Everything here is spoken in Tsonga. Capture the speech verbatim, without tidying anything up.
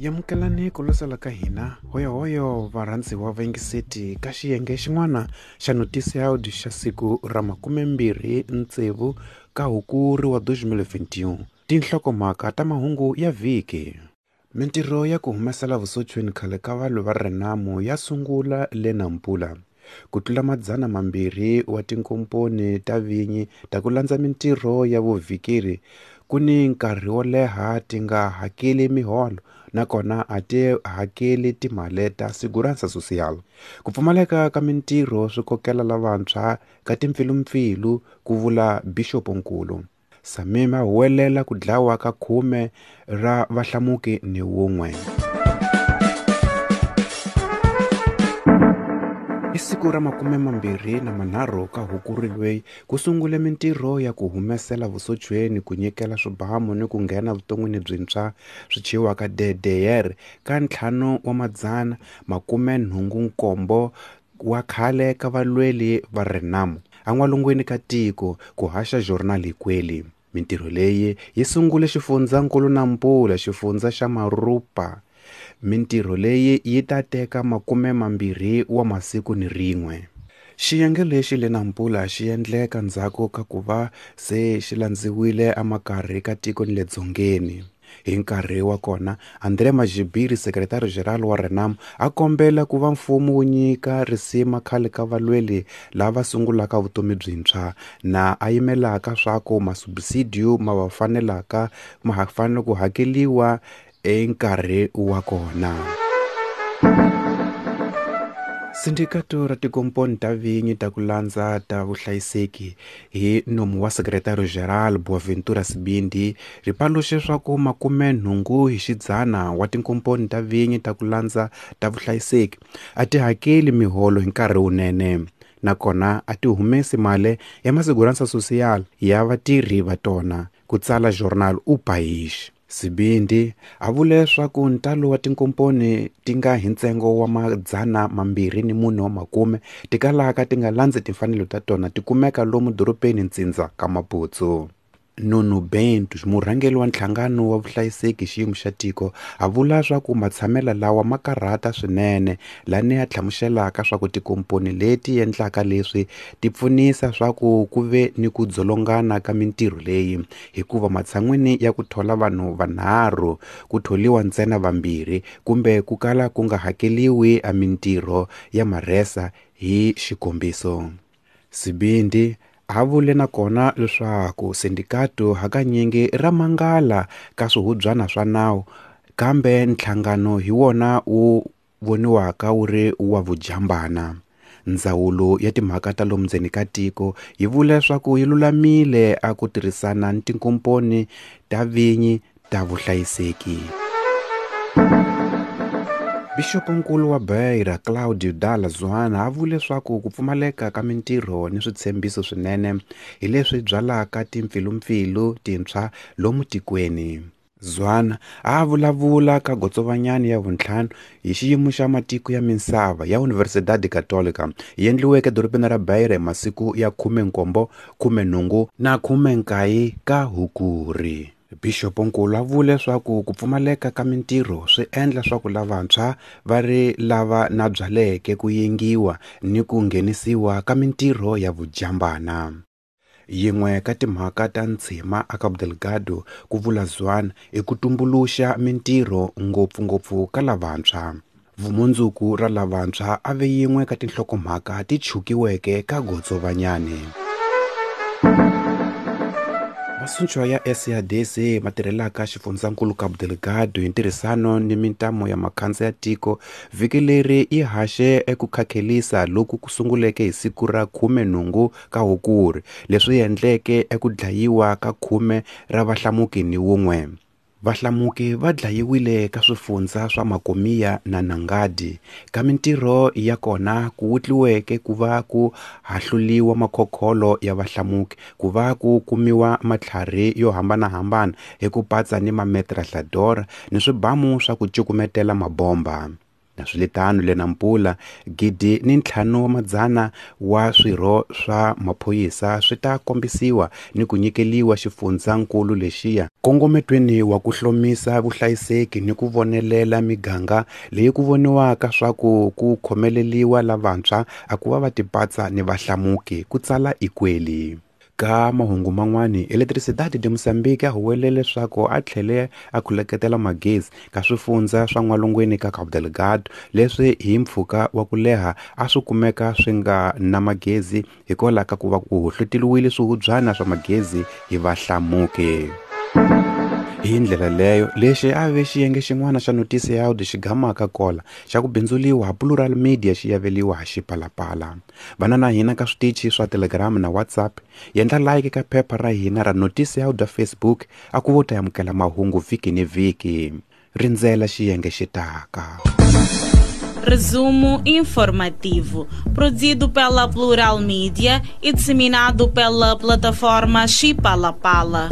Yamukelani ku losela ka hina hoyohoyo varhandziwa va yingiseti ka xiyenge xin'wana xa noticiário xa siku ra makumembirhi tsevu ka Hukuri wa dois mil e vinte e um. Tinhlokomhaka ta mahungu ya vhiki. Mintirho ya ku humesela vusochweni khale ka valwi va Renamo ya sungula le Nampula. Ku tlula madzana mambirhi wa tinkomponi ta vinyi ta ku landza mintirho ya vuvhikeri ku ni nkarhi wo leha ti nga hakeli miholo nakona a ti hakeli timali ta Segurança Social. Ku pfumaleka ka mintirho swi kokela lavantshwa ka timpfilumpfilu, ku vula Bixoponkulu. Samim a huwelela ku dlawa ka khume ra vahlamuki ni wun'we. Hi siku ra makume mambirhi na manharhu ka Hukuri loyi ku sungule mintirho ya ku humesela vusochweni ku nyikela swibamu ni ku nghena vuton'wini byintshwa swi thyiwaka D D R ka ntlhanu wa madzana makume nhungu nkombo wa khale ka valweli va Renamo en'walungwini ka tiko, ku haxa Jornal Ikweli. Mintirho leyi yi sungule xifundzankulu Nampula, xifundza xa Marupa. Mintirho leyi yi ta teka makume mambirhi wa masiku ni rin'we. Xiyenge lexi le Nampula xi endleka ndzhaku ka ku va se xi landziwile emakarhi ka tiko ni le dzongeni. Hi nkarhi wa kona, André Magibiri, sekretarigeneral wa Renamo, a kombela ku va mfumo wu nyika risima khale ka valweli lava sungulaka vutomi byintshwa na a yimelaka swa ku masubsidiyo ma va fanelaka ma ha fanele ku hakeliwa enkarhi wa kona. Sindikato ra tikomponi ta vinyi ta ku landza ta vuhlayiseki hi nomu wa sekretarigeneral Geral Boaventura Sibindi ri paluxe swa ku makume nhungu hi xidzana wa tinkomponi ta vinyi ta ku landza ta vuhlayiseki a ti hakeli miholo hi nkarhi wunene, nakona a ti humesi mali ya Segurança Social ya vatirhi va tona, ku tsala Jornal O País. Sibindi a vule swa ku ntalo wa tinkomponi ti nga hi ntsengo wa madzana mambirhi ni mune wa makume ti kalaka ti nga landzi timfanelo ta tona ti kumeka lomu dorobeni ntsindza ka Maputo. Nuno Bento, murhangeri wa nhlangano wa vuhlayiseki xiyimo xa tiko, a vula swa ku matshamelo lawa ma karhata swinene, lani ya hlamuselaka swa ku tikomponi leti endlaka leswi ti pfunisa swa ku ku ve ni ku dzolongana ka mintirho leyi, hikuva matshan'wini ya ku thola vanhu vanharhu ku tholiwa ntsena vambirhi kumbe ku kala ku nga hakeliwi a mintirho ya marhesa hi xikombiso. Sibindi a vule nakona leswaku sindikato hakanyingi ra mangala ka swihubyana swa nawu, kambe nhlangano hi wona wu voniwaka wu ri wa vujambana. Ndzawulo ya timhaka ta lomu ndzeni ka tiko yi vule leswaku yi lulamile a ku tirhisana ni tinkomponi ta vinyi ta vuhlayiseki. Bixoponkulu wa Beira, Claudio Dalla Zuanna, a vule leswaku ku pfumaleka ka mintirho ni switshembiso swinene hi leswi byalaka timpfilumpfilu tintshwa lomu tikweni. Zuanna a vulavula ka gotsovanyani ya vuntlhanu hi xiyimo xa matiko ya misava ya Universidade Católica yi endliweke edorobeni ra Beira hi masiku ya khume nkombo, khume nhungu na khume nkaye ka Hukuri. Bixoponkulu a vule leswaku ku pfumaleka ka mintirho swi endla swa ku lavantshwa va ri lava na byaleke ku yengiwa ni ku nghenisiwa ka mintirho ya vujambana. Yin'we ka timhaka ta ntshima a Cabo Delgado, ku vula Zuanna, i ku tumbuluxa mintirho ngopfungopfu ka lavantshwa. Vumundzuku ra lavantshwa a ve yin'we ka tinhlokomhaka ti chukiweke ka gotsovanyani. Masunchwa ya S A D C ma tirhelaka xifundzankulu Cabo Delgado hi ntirhisano ni mintamo ya makhansa ya tiko vhiki leri yi haxe eku khakhelisa loku ku sunguleke hi siku ra khume nhungu ka Hukuri, leswi endleke eku dlayiwa ka khume ra vahlamuki ni wun'we. Vahlamuki va dlayiwile ka swifundza swa Macomia na Nangadi. Ka mintirho ya kona ku wutliweke ku va ku hahluliwa makhokholo ya vahlamuki, ku va ku kumiwa matlhari yo hambanahambana hi ku patsa ni mametrahladora ni swibamu swa ku cukumetela mabomba. Naswilitano le Nampula gidi ni ntlhanu wa madzana wa swirho swa maphorisa swi ta kombisiwa ni ku nyikeliwa xifundzankulu lexiya kongometweni wa ku hlomisa vuhlayiseki ni ku vonelela miganga leyi ku voniwaka swa ku ku khomeleliwa lavantshwa a ku va va tipatsa ni vahlamuki, ku tsala Ikweli. Ka mahungu man'wani, Eletricidade de Moçambique a huwelele leswaku a tlhele a khuleketela magezi ka swifundza swa n'walungwini ka Cabo Delgado leswi hi mpfhuka wa ku leha a swi kumeka swi nga na magezi hikwalaho ka ku va ku hohloteliwile swihubyana swa magezi hi vahlamuki. Hi ndlela leyo, lexi a ve xiyenge xin'wana xa Noticiado xi gamaka kola xa ku bindzuliwa ha Plural Media xi yaveliwa ha Xipalapala. Vana na hina ka switichi swa Telegram na WhatsApp, yendla like ka phepha ra hina ra Noticiado Facebook a ku vo ta amukela mahungu vhiki ni vhiki. Rindzela xiyenge xi taka. Resumo informativo, produzido pela Plural Media e disseminado pela plataforma Xipalapala.